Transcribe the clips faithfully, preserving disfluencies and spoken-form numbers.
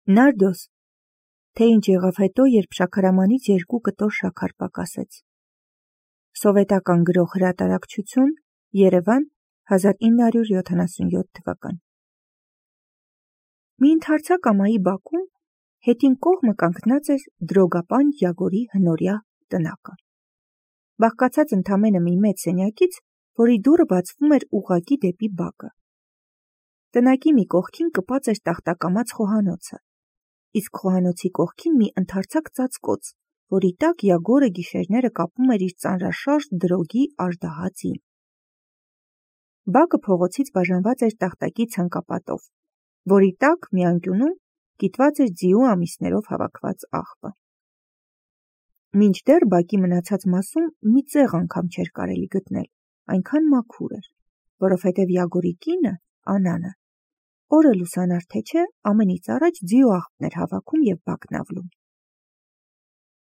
Նարդոս, թե ինչ եղավ հետո, երբ շաքարամանից երկու կտոր շաքար պակասեց։ Սովետական գրող հրատարակչություն, Երևան, հազար ինը հարյուր յոթանասունյոթ թվական։ Մի ընդարձակ ամայի բակում հետին կողմը կանգնած էր դրոգապան Յագորի հնորյա տնակը։ Բաղկացած ընդամենը մի մեծ սենյակից, որի դուռը բացվում էր ուղղակի դեպի բակը։ Տնակի մի կողքին կպած էր տախտակամած խոհանոցը, իսկ խոհանոցի կողքին մի ընդարձակ ծածկոց, որի տակ Յագորը գիշերները կապում էր իր ծանրաշարժ դրոգի աժդահածին։ Բակը փողոցից բաժանված էր տախտակի ցանկապատով, որի տակ մի անկյունում կիտված էր ձիու ամիսներով հավաքված աղբը։ Մինչդեռ բակի մնացած մասում մի ծեղ անգամ չէր կարելի գտնել, այնքան մաքուր էր, որովհետև Յագորի կինը, Անանը, օրը լուսանար թե չէ, ամենից առաջ ձիու աղբներ հավաքում և բակն ավլում։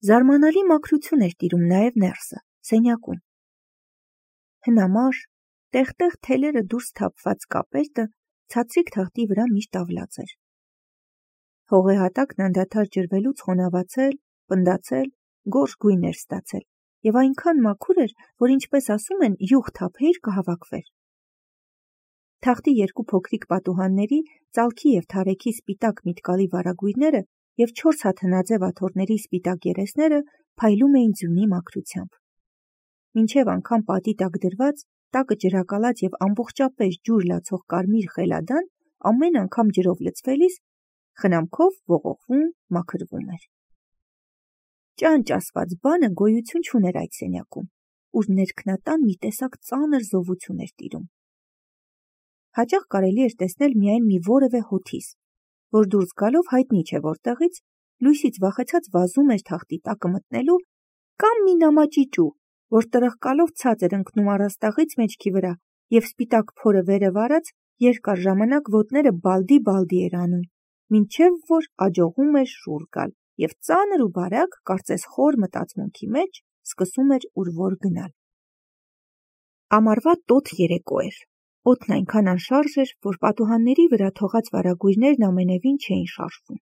Զարմանալի մաքրություն էր տիրում նաև ներսը, սենյակում։ Հնամաշ, տեղ-տեղ թելերը դուրս թափված կապերտը ցածրիկ թղթի վրա միշտ ավլած էր։ Հողի հատակն անդադար ջրվելուց խոնավացել, պնդացել, գորշ գույն էր ստացել և այնքան մաքուր էր, որ ինչպես ասում են, յուղ թափեիր կհավաքվեր։ Թղթի երկու փոքրիկ պատուհանների, ծալքի և թարեքի սպիտակ միտկալի վարագույրները և չորս հատ հնաձև աթոռների սպիտակ երեսները փայլում էին ձյունի մաքրությամբ։ Մինչև անգամ պատի տակ դրված, տակը ջրակալած և ամբողջապես ջուր լացող կարմիր խելադան ամեն անգամ ջրով լցվելիս խնամքով ողողվում, մաքրվում էր։ Ճանճ ասված բանը գոյություն չուներ այդ սենյակում, ուր ներքնատան մի տեսակ ծանր զովություն էր տիրում։ Հաճախ կարելի էր տեսնել միայն մի որևէ հոթիս, որ դուրս գալով հայտնի չէ որտեղից, լույսից վախեցած վազում էր թղթի տակը մտնելու, կամ մի նամաճիճու, որ տրխկալով ցած էր ընկնում առաստաղից մեջքի վրա և սպիտակ փորը վերև արած երկար ժամանակ ոտները բալդի-բալդի էր անում, մինչև որ աջողում էր շուռ գալ և ծանր ու բարակ, կարծես խոր մտածմունքի մեջ, սկսում էր ուր որ գնալ։ Ամառվա տոտ երեկո էր։ Օդն այնքան անշարժ էր, որ պատուհանների վրա թողած վարագույրներն ամենևին չէին շարժվում։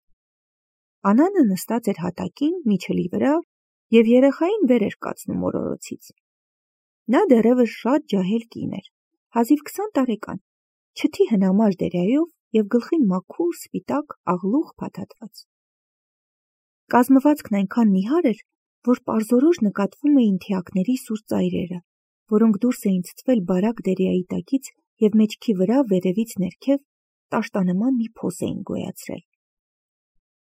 Անանը նստած էր հատակին, միջելի վրա և երեխային վեր էր կացնում օրորոցից։ Նա դեռևս շատ ջահել կին էր, հազիվ քսան տարեկան, չթի հնամաշ դերյայով և գլխին մաքուր սպիտակ աղլուղ փաթաթված։ Կազմվածքն այնքան նիհար էր, որ պարզորոշ նկատվում էին թիակների սուր ծայրերը, որոնք դուրս էին ցցվել բարակ դերյայի տակից և մեջքի վրա վերևից ներքև տաշտանման մի փոս էին գոյացրել։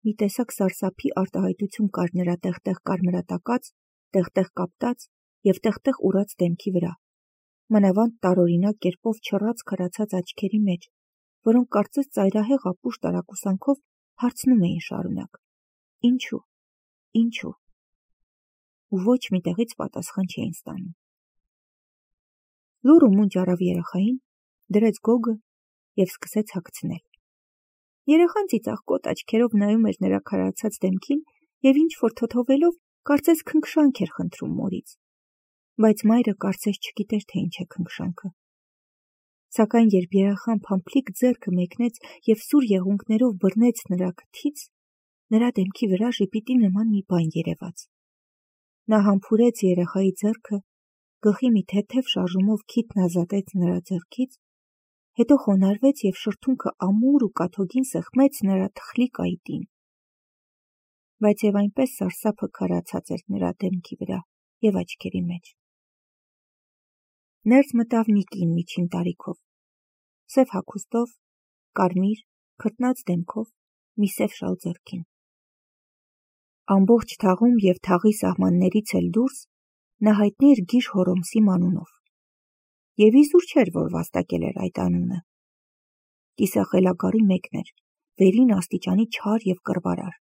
Մի տեսակ սարսափի արտահայտություն կար նրա տեղ-տեղ կարմրատակած, տեղ-տեղ կապտած և տեղ-տեղ ուռած դեմքի վրա, մանավանդ տարօրինակ կերպով չռած քարացած աչքերի մեջ, որոնք կարծես ծայրահեղ ապուշ տարակուսանքով հարցնում էին շարունակ. «Ինչու, ինչու» ու ոչ մի տեղից պատասխան չէին ստանում։ Լուռ ու մունջ առավ երեխային, դրեց գոգը և սկսեց հագցնել։ Երեխան ծիծաղկոտ աչքերով նայում էր նրա քարացած դեմքին և ինչ-որ թոթովելով կարծես քնքշանք էր խնդրում մորից, բայց մայրը կարծես չգիտեր, թե ինչ է քնքշանքը։ Սակայն երբ երեխան փամփլիկ ձեռքը մեկնեց և սուր եղունգներով բռնեց նրա քթից, նրա դեմքի վրա ժպիտի նման մի բան երևաց։ Նա համբուրեց երեխայի ձեռքը, գլխի մի թեթև շարժումով քիթն ազատեց նրա ձեռքից, հետո խոնարհվեց և շրթունքը ամուր ու կաթոգին սեղմեց նրա թխլիկ այտին։ Բայց և այնպես սարսափը քարացած էր նրա դեմքի վրա և աչքերի մեջ։ Ներս մտավ մի կին միջին տարիքով, սև հագուստով, կարմիր, քրտնած դեմքով, մի սև շալ ձեռքին։ Ամբողջ թաղում և թաղի սահմաններից էլ դուրս նա հայտնի էր Գիժ Հոռոմսիմ անունով, և իզուր չէր, որ վաստակել էր այդ անունը։ Կիսախելագարի մեկն էր, վերին աստիճանի չար և կռվարար։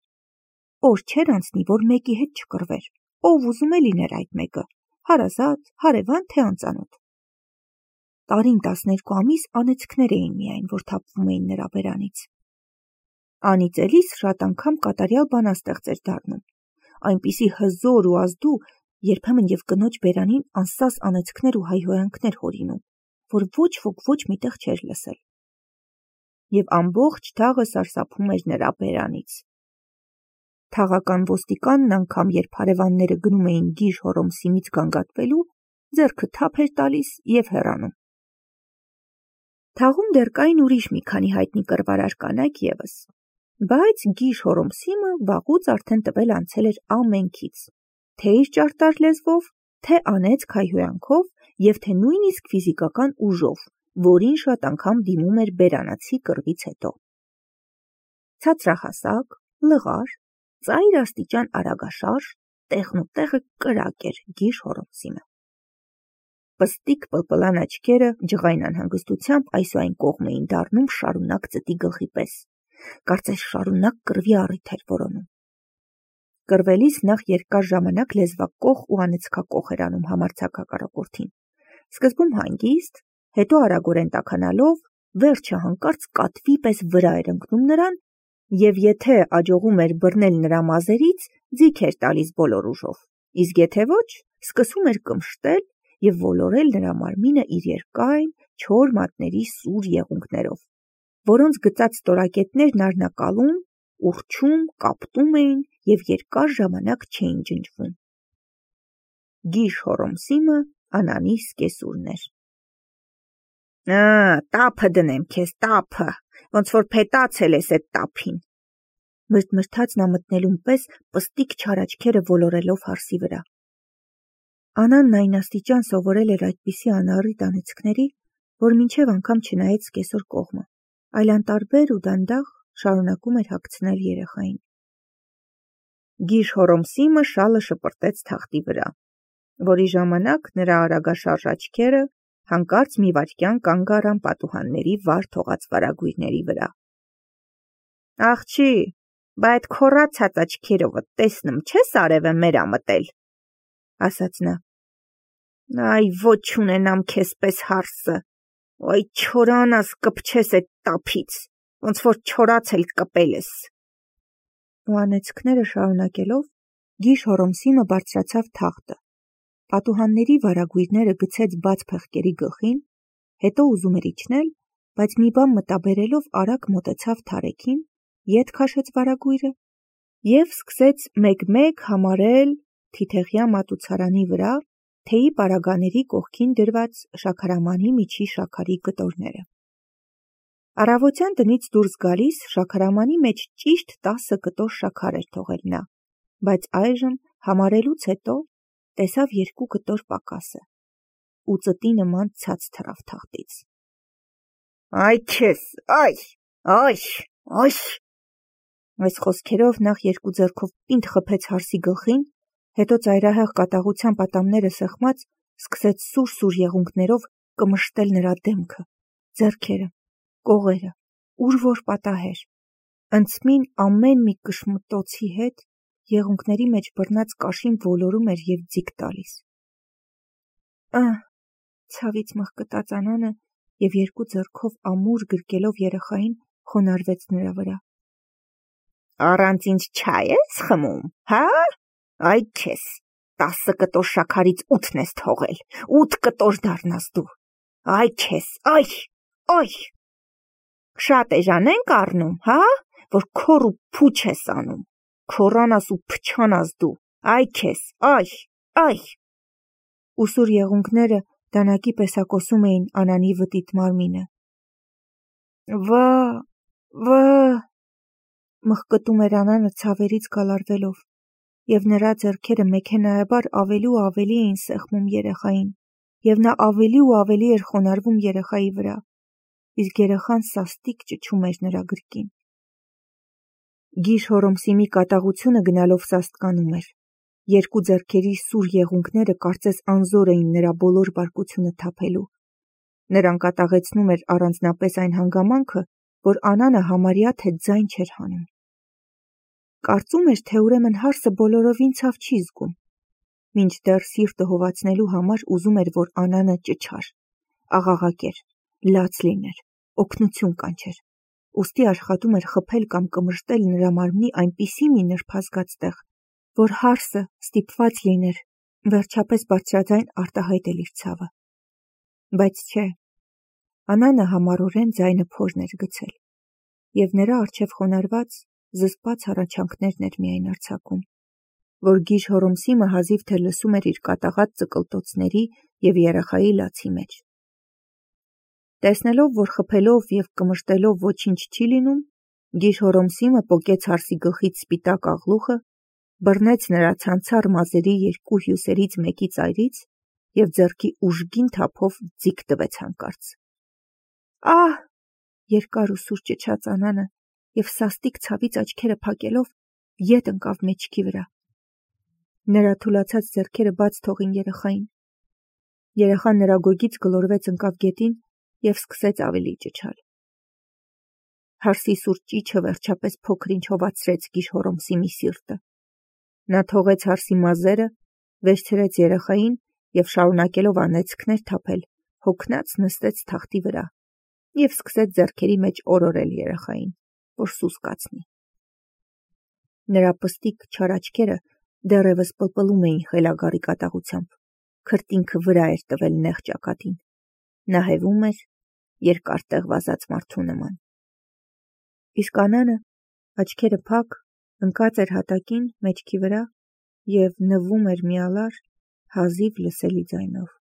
Օր չէր անցնի, որ մեկի հետ չկռվեր, ով ուզում է լիներ այդ մեկը, հարազատ, հարևան, թե անծանոթ։ Տարին տասներկու ամիս անեծքներ էին միայն, որ թափվում էին նրա բերանից։ Անիծելիս շատ անգամ կատարյալ բանաստեղծ էր դառնում, այնպիսի հզոր ու ազդու, երբեմն և կնոջ բերանին անսաս անեծքներ ու հայհոյանքներ հորինում, որ ոչ ոք ոչ մի տեղ չէր լսել։ և ամբողջ թաղը սարսափում էր նրա բերանից։ Թաղական ոստիկանն անգամ, երբ հարևանները գնում էին Գիժ Հոռոմսիմից գանգատվելու, ձեռքը թափ էր տալիս և հեռանում։ Թաղում դեռ կային ուրիշ մի քանի հայտնի կռվարար կանայք ևս, բայց Գիժ Հոռոմսիմը վաղուց արդեն տվել անցել էր ամենքից, թե իր ճարտար լեզվով, թե անեծք հայհոյանքով և թե նույնիսկ ֆիզիկական ուժով, որին շատ անգամ դիմում էր բերանացի կռվից հետո։ Ցածրահասակ, լղար, ծայր աստիճան արագաշարժ, տեղնուտեղը կրակ էր Գիժ Հոռոմսիմը։ Պստիկ պլպլան աչքերը ջղայն անհանգստությամբ այս ու այն կողմ էին դառնում շարունակ ծտի գլխի պես, կարծես շարունակ կռվի առիթ էր որոնում։ Կռվելիս նախ երկար ժամանակ լեզվակոխ ու անեծքակոխ էր անում համարձակ հակառակորդին, սկզբում հանգիստ, հետո արագորեն տաքանալով, վերջը հանկարծ կատվի պես վրա էր ընկնում նրան և եթե աջողում էր բռնել նրա մազերից, ձիգ էր տալիս բոլոր ուժով, իսկ եթե ոչ, սկսում էր կմշտել և ոլորել նրա մարմինը իր երկայն, չոր մատների սուր եղունգներով, որոնց գծած ստորակետներն առնակալում, ուռչում, կապտում էին և երկար ժամանակ չէին ջնջվում։ Գիժ Հոռոմսիմը Անանի սկեսուրն էր։ «Տափը դնեմ քեզ, տափը, ոնց որ փետացել ես էդ տափին», մրթմրթաց նա մտնելուն պես պստիկ չար աչքերը ոլորելով հարսի վրա։ Անանն այն աստիճան սովորել էր այդպիսի անառիթ անեծքների, որ մինչև անգամ չնայեց սկեսուր կողմը, այլ անտարբեր ու դանդաղ շարունակում էր հագցնել երեխային։ Գիժ Հոռոմսիմը շալը շպրտեց թախտի վրա, որի ժամանակ նրա արագաշարժ աչքերը հանկարծ մի վայրկյան կանգ առան պատուհանների վար թողած վարագույրների վրա։ «Աղջի, բա այդ քոռացած աչքերովդ տեսնում չես արևը մերա մտել», ասաց նա։ «Այ ոչ ունենամ քեզ պես հարսը, այ չորանաս կպչես էդ տափից, ոնց որ չորացել կպել ես»։ Ու անեծքները շարունակելով, Գիժ Հոռոմսիմը բարձրացավ թախտը, պատուհանների վարագույրները գցեց բաց փեղկերի գլխին, հետո ուզում էր իջնել, բայց մի բան մտաբերելով արագ մոտեցավ թարեքին, ետ քաշեց վարագույրը և սկսեց մեկ-մեկ համարել թիթեղյա մատուցարանի վրա թեյի պարագաների կողքին դրված շաքարամանի միջի շաքարի կտորները։ Առավոտյան տնից դուրս գալիս շաքարամանի մեջ ճիշտ տասը կտոր շաքար էր թողել նա, բայց այժմ համարելուց հետո տեսավ երկու կտոր պակասը ու ծտի նման ցած թռավ թախտից։ «Այ քեզ, այ, այ, այ»։ Այս խոսքերով նախ երկու ձեռքով պինդ խփեց հարսի գլխին, հետո ծայրահեղ կատաղությամբ ատամները սեղմած սկսեց սուր-սուր եղունգներով կմշտել նրա դեմքը, ձեռքերը, կողերը, ուր որ պատահեր, ընցմին ամեն մի կշմտոցի հետ եղունգների մեջ բռնած կաշին ոլորում էր և ձիգ տալիս։ «Ա՜», ցավից մղկտաց Անանը և երկու ձեռքով ամուր գրկելով երեխային խոնարհվեց նրա վրա։ «Առանց ինձ չայ ես խմում, հա՞, այ քեզ, տասը կտոր շաքարից ութն ես թողել, ութ կտոր դառնաս դու, այ քեզ, այ, այ, շատ էժան ենք առնում, հա, որ քոռ ու փուչ ես անում, քոռանաս ու փչանաս դու, այ քեզ, այ, այ»։ Ուսուր եղունգները դանակի պես հակոսում էին Անանի վտիտ մարմինը։ «Վա, վա», մղկտում էր Անանը ցավերից գալարվելով, և նրա ձեռքերը մեքենայաբար ավելի ու ավելի էին սեղմում երեխային, և նա ավելի ու ավելի էր խոնարհվում երեխայի վրա, իսկ երեխան սաստիկ ճչում էր նրա գրկին։ Գիժ Հոռոմսիմի կատաղությունը գնալով սաստկանում էր, երկու ձեռքերի սուր եղունգները կարծես անզոր էին նրա բոլոր բարկությունը թափելու։ Նրան կատաղեցնում էր առանձնապես այն հանգամանքը, որ Անանը համարյա թե ձայն չէր հանում։ Կարծում էր, թե ուրեմն հարսը բոլորովին ցավ չի զգում, մինչդեռ սիրտը հովացնելու համար ուզում էր, որ Անանը ճչար, աղաղակեր, լաց լիներ, օգնություն կանչեր, ուստի աշխատում էր խփել կամ կմշտել նրա մարմնի այնպիսի մի նրբազգաց տեղ, որ հարսը ստիպված լիներ վերջապես բարձրաձայն արտահայտել իր ցավը։ Բայց չէ, Անանը համառորեն ձայնը փորն էր գցել։ և նրա առջև խոնարհված, զսպած հառաչանքներն էր միայն արձակում, որ գիժ Հոռոմսիմը հազիվ թե լսում էր իր կատաղած ծկլտոցների և երեխայի լացի մեջ։ Տեսնելով, որ խփելով և կմշտելով ոչինչ չի լինում, գիժ Հոռոմսիմը պոկեց հարսի գլխից սպիտակ աղլուխը, բռնեց նրա ցանցառ մազերի երկու հյուսերից մեկի ծայրից և ձեռքի ուժգին թափով ձիգ տվեց հանկարծ։ «Ա՜հ», երկար ու սուր ճչաց Անանը և սաստիկ ցավից աչքերը փակելով ետ ընկավ մեջքի վրա։ Նրա թուլացած ձեռքերը բաց թողին երեխային։ Երեխան նրա գոգից գլորվեց ընկավ գետին և սկսեց ավելի ճչալ։ Հարսի սուր ճիչը վերջապես փոքր-ինչ հովացրեց գիժ Հոռոմսիմի սիրտը։ Նա թողեց հարսի մազերը, վերցրեց երեխային և շարունակելով անեծքներ թափել, հոգնած նստեց թախտի վրա և սկսեց ձեռքերի մեջ օրորել երեխային, որ սուս կացնի։ Նրա պստիկ չար աչքերը դեռևս պլպլում էին խելագարի կատաղությամբ, քրտինքը վրա էր տվել նեղ ճակատին, նա հևում էր երկար վազած մարդու նման։ Իսկ Անանը, աչքերը փակ, ընկած էր հատակին մեջքի վրա և նվում էր մի ալար, հազիվ լսելի ձայնով։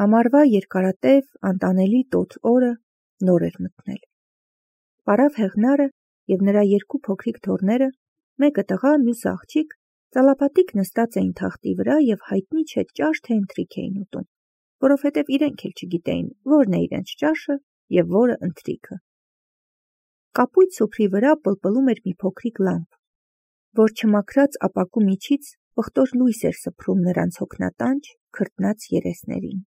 Ամառվա երկարատև, անտանելի տոտ օրը նոր էր մթնել։ Պարավ Հեղնարը և նրա երկու փոքրիկ թոռները, մեկը տղա, մյուսը աղջիկ, ծալապատիկ նստած էին թախտի վրա և հայտնի չէ ճաշ թե ընթրիք էին ուտում, որովհետև իրենք էլ չգիտեին, որն է իրենց ճաշը և որը ընթրիքը։ Կապույտ սուփրի վրա պլպլում էր մի փոքրիկ լամպ, որ չմաքրած ապակու միջից պղտոր լույս էր սփռում նրանց հոգնատանջ, քրտնած երեսներին։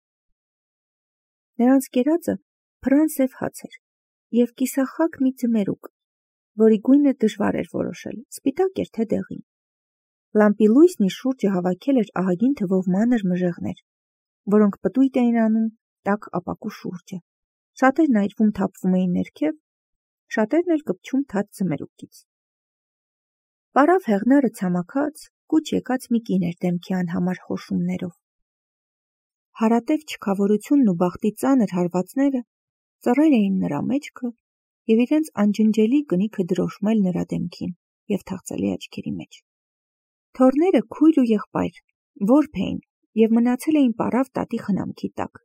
Նրանց կերածը փռան սև հաց էր և կիսախակ մի ձմերուկ, որի գույնը դժվար էր որոշել, սպիտակ էր թե դեղին։ Լամպի լույսն իր շուրջը հավաքել էր ահագին թվով մանր մժեղներ, որոնք պտույտ էին անում տաք ապակու շուրջը, շատերն այրվում թափվում էին ներքև, շատերն էլ կպչում թաց ձմերուկից։ Պարավ Հեղնարը ցամաքած, կուչ եկած մի կին էր դեմքի անհամար խոշումներով։ Հարատև չքավորությունն ու բախտի ծանր հարվածները ծռել էին նրա մեջքը և իրենց անջնջելի կնիքը դրոշմել նրա դեմքին և թախծալի աչքերի մեջ։ Թոռները քույր ու եղբայր, որբ էին և մնացել էին պարավ տատի խնամքի տակ։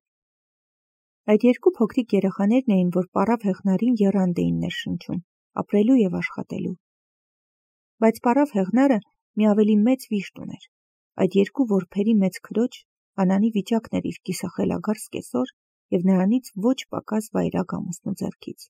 Այդ երկու փոքրիկ երեխաներն էին, որ պարավ Հեղնարին եռանդ էին ներշնչում, ապրելու և աշխատելու։ Բայց պարավ Հեղնարը մի ավելի մեծ վիշտ ուներ։ Այդ երկու որբերի մեծ քրոջ Անանի վիճակն էր իր կիսախելագար սկեսոր և նրանից ոչ պակաս վայրագ ամուսնու ձեռքից։